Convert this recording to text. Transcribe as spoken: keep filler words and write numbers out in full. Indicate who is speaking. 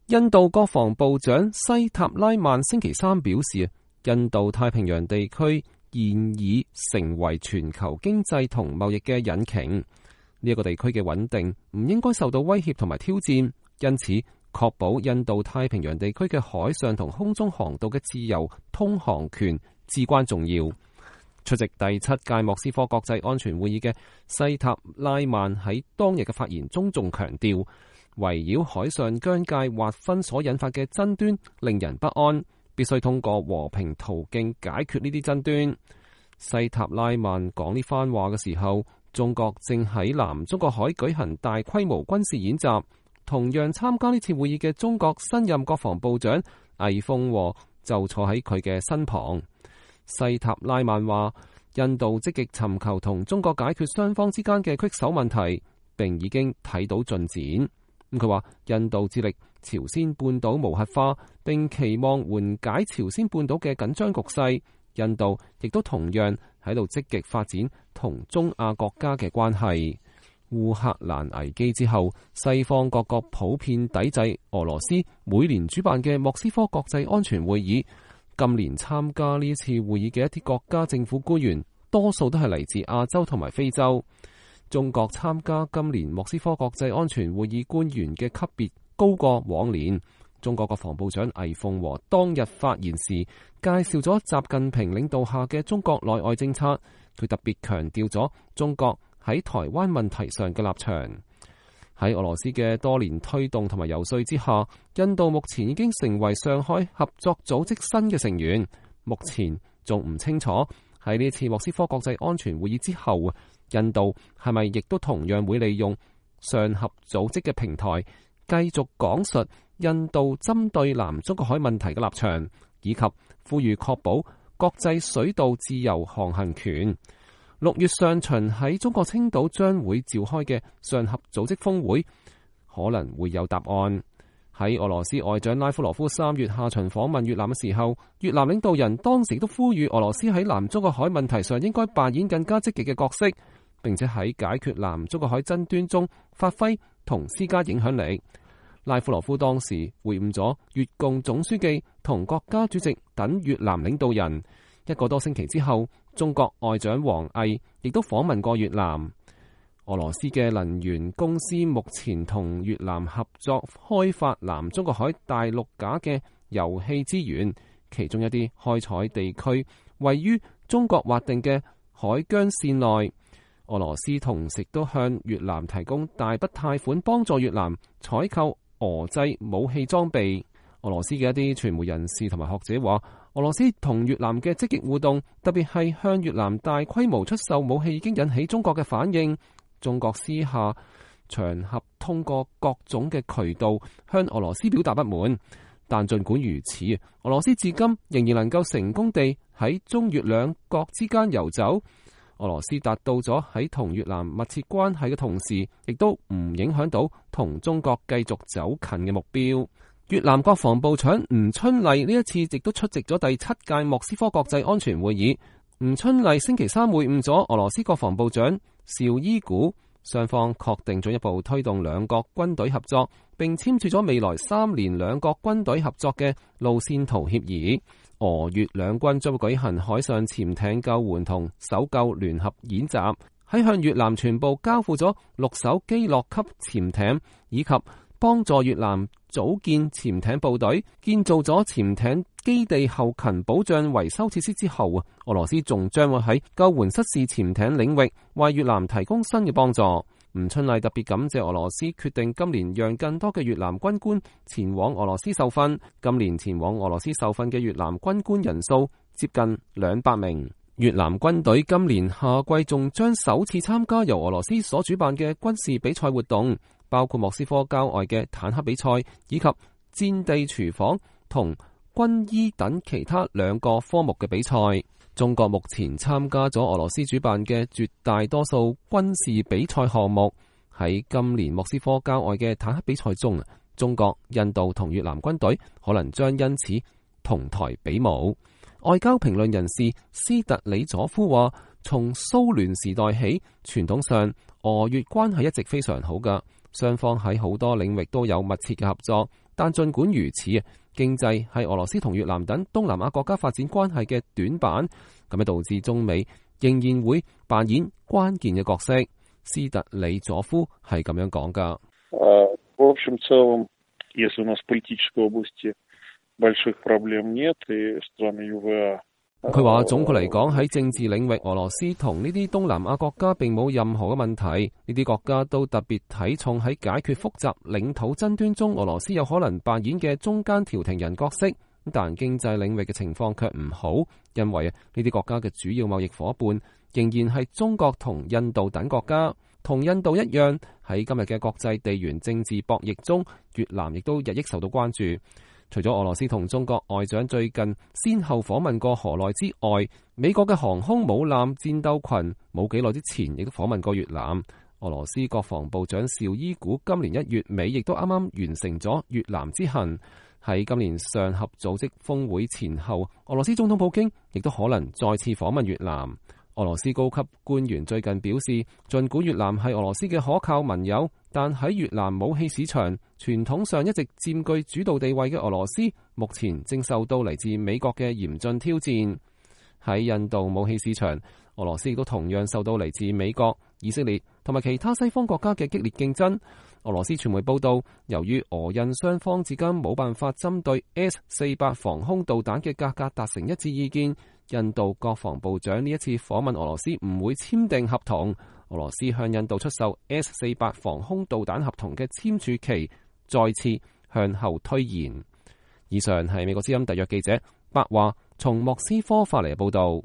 Speaker 1: 印度國防部長西塔拉曼星期三表示，印度太平洋地區現已成為全球經濟同貿易嘅引擎，呢、這、一個地區嘅穩定唔應該受到威脅同埋挑戰，因此確保印度太平洋地區嘅海上同空中航道嘅自由通航權至關重要。出席第七屆莫斯科國際安全會議嘅西塔拉曼喺當日嘅發言中仲強調，圍繞海上疆界劃分所引發嘅爭端令人不安，必須通過和平途徑解決呢啲爭端。西塔拉曼講呢番話嘅時候，中國正喺南中國海舉行大規模軍事演習。同樣參加呢次會議嘅中國新任國防部長魏鳳和就坐喺佢嘅身旁。西塔拉曼話，印度積極尋求同中國解決雙方之間嘅棘手問題，並已經睇到進展。佢話印度致力朝鮮半島無核化，並期望緩解朝鮮半島嘅緊張局勢。印度亦都同樣喺度積極發展同中亞國家嘅關係。烏克蘭危機之後，西方各國普遍抵制俄羅斯每年主辦嘅莫斯科國際安全會議。今年參加呢次會議嘅一啲國家政府官員，多數都係嚟自亞洲同埋非洲。中國參加今年莫斯科國際安全會議官員嘅級別高過往年。中國國防部長魏鳳和當日發言時介紹咗習近平領導下嘅中國內外政策，佢特別強調咗中國喺台灣問題上嘅立場。喺俄羅斯嘅多年推動同埋游說之下，印度目前已經成為上海合作組織新嘅成員。目前仲唔清楚喺呢次莫斯科國際安全會議之後，印度係咪亦都同樣會利用上合組織嘅平台，繼續講述印度針對南中國海問題嘅立場，以及呼籲確保國際水道自由航行權。六月上旬喺中國青島將會召開嘅上合組織峰會可能會有答案。喺俄羅斯外長拉夫羅夫三月下旬訪問越南嘅時候，越南領導人當時都呼籲俄羅斯喺南中國海問題上應該扮演更加積極嘅角色，並且喺解決南中國海爭端中發揮同施加影響力。拉夫羅夫當時會晤咗越共總書記同國家主席等越南領導人。一個多星期之後，中國外長王毅亦都訪問過越南。俄羅斯嘅能源公司目前同越南合作開發南中國海大陸架嘅油氣資源，其中一啲開採地區位於中國劃定嘅海疆線內。俄羅斯同時都向越南提供大筆貸款，幫助越南採購俄製武器裝備。俄羅斯嘅一啲傳媒人士同埋學者話，俄羅斯同越南嘅積極互動，特別係向越南大規模出售武器，已經引起中國嘅反應。中國私下場合通過各種嘅渠道向俄羅斯表達不滿，但儘管如此，俄羅斯至今仍然能夠成功地喺中越兩國之間游走。俄羅斯達到咗喺同越南密切關係嘅同時，亦都唔影響到同中國繼續走近嘅目標。越南國防部長吳春麗呢一次亦都出席咗第七屆莫斯科國際安全會議。吳春麗星期三會晤咗俄羅斯國防部長邵伊古，雙方確定進一步推動兩國軍隊合作，並簽署咗未來三年兩國軍隊合作嘅路線圖協議。俄越兩軍將會舉行海上潛艇救援同搜救聯合演習，喺向越南全部交付咗六艘基洛級潛艇，以及幫助越南組建潛艇部隊、建造咗潛艇基地後勤保障維修設施之後啊，俄羅斯仲將會喺救援失事潛艇領域為越南提供新嘅幫助。吳春麗特別感謝俄羅斯決定今年讓更多嘅越南軍官前往俄羅斯受訓。今年前往俄羅斯受訓嘅越南軍官人數接近兩百名。越南軍隊今年夏季仲將首次參加由俄羅斯所主辦嘅軍事比賽活動，包括莫斯科郊外嘅坦克比賽，以及戰地廚房同軍醫等其他兩個科目嘅比賽。中國目前參加咗俄羅斯主辦嘅絕大多數軍事比賽項目。喺今年莫斯科郊外嘅坦克比賽中，中國、印度同越南軍隊可能將因此同台比武。外交評論人士斯特里佐夫話，從蘇聯時代起，傳統上俄越關係一直非常好㗎，雙方喺好多領域都有密切嘅合作。但儘管如此，經濟係俄羅斯同越南等東南亞國家發展關係嘅短板，咁樣導致中美仍然會扮演關鍵嘅角色。斯特里佐夫係咁樣講噶。佢話總括嚟講，喺政治領域，俄羅斯同呢啲東南亞國家並冇任何嘅問題。呢啲國家都特別睇重喺解決複雜領土爭端中，俄羅斯有可能扮演嘅中間調停人角色。但經濟領域嘅情況卻唔好，因為呢啲國家嘅主要貿易夥伴仍然係中國同印度等國家。同印度一樣，喺今日嘅國際地緣政治博弈中，越南亦都日益受到關注。除咗俄羅斯同中國外長最近先後訪問過河內之外，美國嘅航空母艦戰鬥群冇幾耐之前亦都訪問過越南。俄羅斯國防部長紹伊古今年一月尾亦都啱啱完成咗越南之行。喺今年上合組織峰會前後，俄羅斯總統普京亦都可能再次訪問越南。俄羅斯高級官員最近表示，儘管越南係俄羅斯嘅可靠盟友，但喺越南武器市場傳統上一直佔據主導地位嘅俄羅斯，目前正受到嚟自美國嘅嚴峻挑戰。喺印度武器市場，俄羅斯亦都同樣受到嚟自美國、以色列同埋其他西方國家嘅激烈競爭。俄羅斯傳媒報道，由於俄印雙方至今冇辦法針對 S 四百防空導彈嘅價格達成一致意見，印度國防部長呢一次訪問俄羅斯唔會簽訂合同。俄羅斯向印度出售 S 四百防空導彈合同嘅簽署期再次向後推延。以上係美國之音特約記者白華從莫斯科發嚟嘅報道。